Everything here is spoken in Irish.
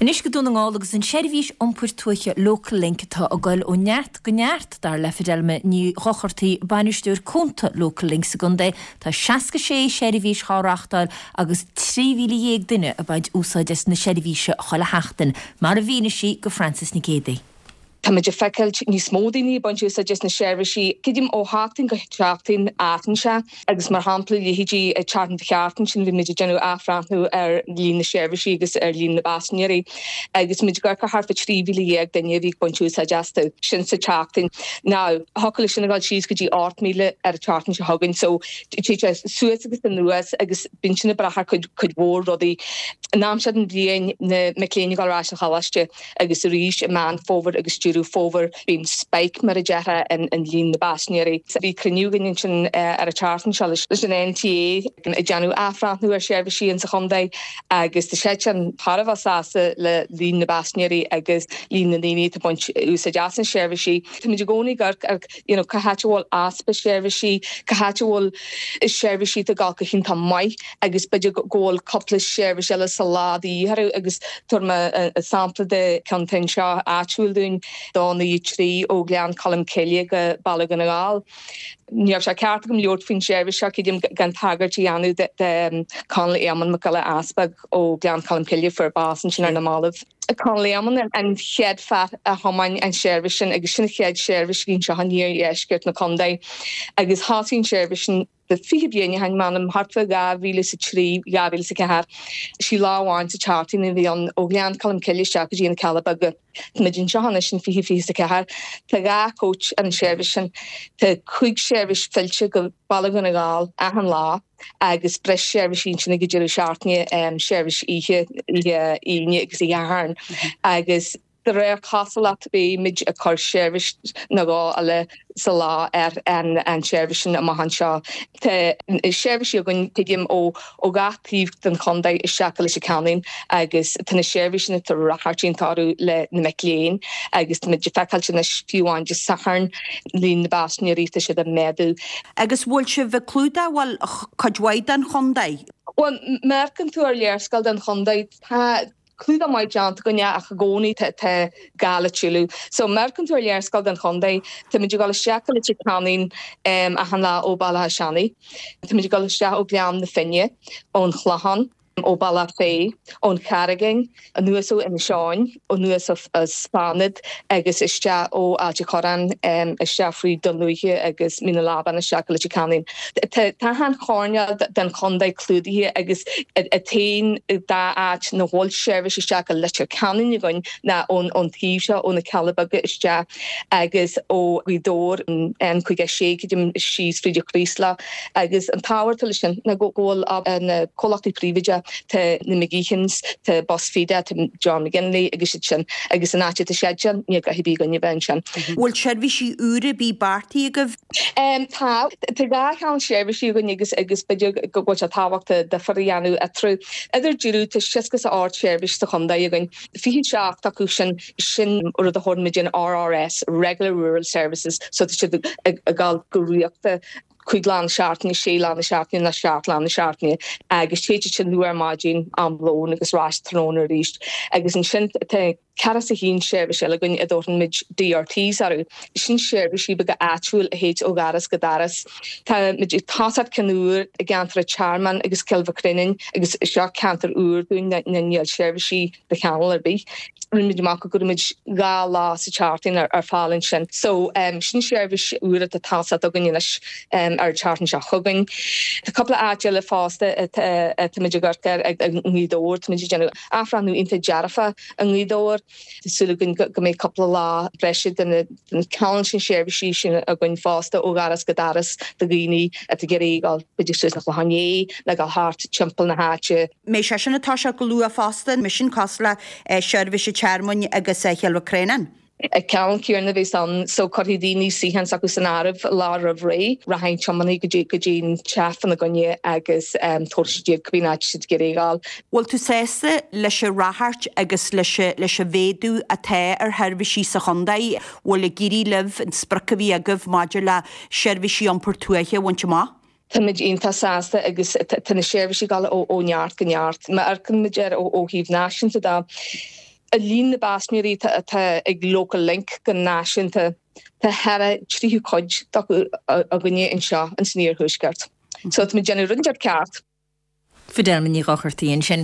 Anois go Dún na nGall agus an seirbhís iompair tuaithe Local Link atá ag goil ó neart go neart, dar le Fidelma Ní Dhochartaigh, Bainisteoir Cúnta Local Link sa gcontae. Tá 66 seirbhís dhá reachtáil agus 13,000 duine ag baint úsáid as na seirbhíse chuile sheachtain, mar a mhínigh sí go Frances Nic Géadaigh. Táimid ag feiceáilt níos mó daoine ag baint úsáid as na seirbhísí. Creidim ó sheachtain go seachtain athraíonn sé agus mar shampla leithéidí an tseachtain ba cheart ansin bhí muid ag déanamh athbhreathnú ar líon na seirbhísí agus ar líon na bpaisinéirí agus muid ag amharc ar thart fá 13,000 duine a bhí ag baint úsáid astu sin sa tseachtain. Now thiocfadh leis sin a dhul síos go dtí 8,000 ar an tseachtain seo chugainn so téann sé suas agus anuas agus bíonn sin ag brath ar cuid cuid mhór rudaí. An am seo den bhliain na mic léinn ag dul ar ais an choláiste. Agus arís i Meán Fómhair agus Deireadh Fómhair bíonn spike, mar a déarfá, in líon na bpaisinéirí. Bhí cruinniú againn ansin ar an tseachtain seo leis an NTA ag déanamh athbhreathnú ar sheirbhísí insa chontae agus tá siadsan thar a bheith sásta le líon na bpaisinéirí agus líon na ndaoine atá ag baint úsáid as na seirbhísí. Táimid i gcónaí ag amharc ar you know cá háit a bhfuil easpa seirbhísí, cá háit a bhfuil seirbhísí atá ag dul go hiontach maith. agus b'fhéidir go bhfuil cúpla seirbhís eile sa lá de dhíth orthu agus tabharfaidh mé sampla de ceann atá anseo áitiúil dúinn, 293 ó Ghleann Cholm Cille go Baile Dhún na nGall. Ní raibh sé ceart agam labhairt faoin seirbhís seo creidim gan tagairt a dhéanamh de Conall Éamonn Mac Giolla Easpaig ó Ghleann Cholm Cille a fuair bás ansin ar na mallaibh. Conall Éamonn an chéad fear a thiomáin an seirbhís sin agus sin an chéad seirbhís a bhí anseo in iardheisceart na contae agus thosaigh an seirbhís sin 20 bliain ó shin, m'anam, thart fá 2003, 2004. Sí lá amháin sa tseachtain a bhí ann, ó Ghleann Cholm Cille isteach go dtí na Cealla Beaga. Táimid anseo anois in 2024. Tá dhá coach ar an seirbhís sin. Tá cúig seirbhís fillte go Baile Dhún na nGall achan lá agus breis seirbhísí ansin ag an deireadh seachtaine, seirbhís oíche, oíche Aoine agus oíche Shathairn. Agus. De réir cosúlacht beimid ag cur seirbhís nó dhó eile sa lá ar an tseirbhís sin amach anseo. Tá seirbhísí againn, tuigim, ó gach taobh den chontae isteach go Leitir Ceanainn agus tá na seirbhísí sin ag ráchairt iontach orthu le na mic léinn agus táimid ag feiceáilt anois fiú amháin Dé Sathairn líon na bpaisinéirí tá siad ag méadú. Agus bhfuil sibh ag clúdach, bhuel, cuid mhaith den chontae? Bhuel, má amharcann tú ar léarscáil den chontae, tá. clúdach maith déanta againne ach i gcónaí tá gá le tuilleadh. So má amharcann tú ar léarscáil den chontae, táimid ag dul isteach go Leitir Ceanainn achan lá ó Bhaile Átha Seanaidh, táimid ag dul isteach ó Ghleann na Finne, ón Chlochán, ó Bealach Féich, ón Charraigín, anuas ó Inis Eoghain, anuas as Fánaid agus isteach ó Ailt an Chorráin, isteach fríd Dún Lúiche agus Mín na Leaban isteach go Leitir Ceanainn. Tá achan choirnéal den chontae clúdaithe agus an t-aon dá áit nach bhfuil seirbhís isteach go Leitir Ceanainn againn ná ón taobh seo, ó na Cealla Beaga isteach agus ó Ghaoth Dobhair, an N56 creidim síos fríd an Chraoslach. Agus an t-ábhar atá leis sin ná go bhfuil na comhlachtaí príobháideacha, tá na McGeehans, tá Bus Feda, tá John McGinley agus iad sin agus an áit atá siad sin, níl gá ar bith againn a bheith ansin. Bhfuil seirbhísí úra ar bith beartaithe agaibh? Tá. Tá dhá cheann seirbhísí againn agus agus b'fhéidir go bhfuil sé tábhachtach difear a dhéanamh eatarthu. Idir deireadh, tá 68 seirbhís sa chontae againn. 27 acu sin, sin rud a thabharann muid an RRS, Regular Rural Services, so tá siad ag dul go rialta cúig lá na seachtaine, sé lá na seachtaine nó seacht lá na seachtaine agus téid siad sin luath ar maidin, am lóin agus ar ais tráthnóna arís. Agus ansin tá. 41 seirbhís eile againn a dtabharfaidh muid DRTs orthu. Sin seirbhísí beaga áitiúil a théid ó dhoras go doras. Tá muid ag tosacht ceann úr i gceantar an Tearmainn agus Cill Mhic agus seo ceantar úr dúinn ná níl seirbhísí de chineál ar bith. Rinne muid amach go gcuirfidh muid dhá lá sa tseachtain ar fáil ansin. So sin seirbhís úr atá ag tosacht againn anois ar an tseachtain seo chugainn. Tá cúpla áit eile fosta atá muid ag amharc air i nGaoth Dobhair. Tá muid ag déanamh athbhreathnú iontach dearfa i nGaoth Dobhair. Tá súil againn go mbeidh cúpla lá breise de na ceann sin seirbhísí sin againn fosta ó dhoras go doras do dhaoine atá ag iarraidh dul b'fhéidir suas na Clochán Liath nó dul thart timpeall na háite. Mbeidh sé sin ag toiseacht go luath fosta, mbeidh sin cosúil le seirbhís an Tearmainn agus Chill Mhic Réanáin. An ceann céanna a bheas ann so cuirfidh daoine suíochán s'acu san áireamh lá roimh ré. Rachaidh an tiománaí go dtí go dtí an teach fána gcoinne agus tabharfaidh siad iad cibé áit siad ag iarraidh a ghabháil. Bhfuil tú sásta leis an ráchairt agus leis leis an mhéadú atá ar sheirbhísí sa chontae? Bhfuil ag éirí libh an sprioc a bhí agaibh maidir le seirbhísí iompair tuaithe a bhaint amach? Táimid iontach sásta agus tá na seirbhísí ag dul ó neart go neart. Má amharcann muid air ó thaobh náisiúnta de. Líon na bpaisinéirí atá ag Local Link go náisiúnta, tá thar a tríú cuid acu againne anseo ins an Iarthuaisceart. So tá muid ag déanamh rud inteacht ceart. Fidelma Ní Dhochartaigh ansin.